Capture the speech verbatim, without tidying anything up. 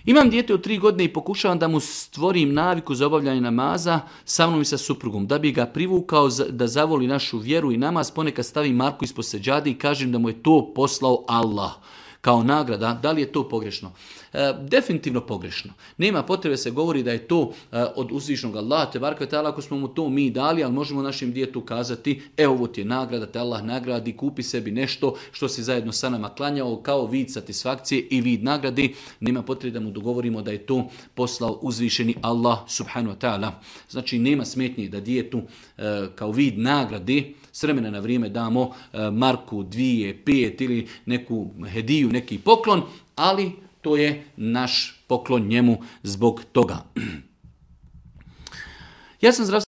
Imam dijete od tri godine i pokušavam da mu stvorim naviku za obavljanje namaza sa mnom i sa suprugom, da bi ga privukao da zavoli našu vjeru i namaz. Ponekad stavim marku ispod seđade i kažem da mu je to poslao Allah kao nagrada. Da li je to pogrešno? E, definitivno pogrešno. Nema potrebe se govori da je to e, od uzvišnog Allaha te barek ve taala, ako smo mu to mi dali, ali možemo našem djetetu kazati, e ovo ti je nagrada, te Allah nagradi, kupi sebi nešto što si zajedno sa nama klanjao kao vid satisfakcije i vid nagrade. Nema potrebe da mu dogovorimo da je to poslao uzvišeni Allah subhanahu wa ta'ala. Znači nema smetnje da djetetu e, kao vid nagrade s vremena na vrijeme damo e, marku, dvije, pet ili neku hediju, neki poklon, ali to je naš poklon njemu zbog toga. Ja sam zdravstveno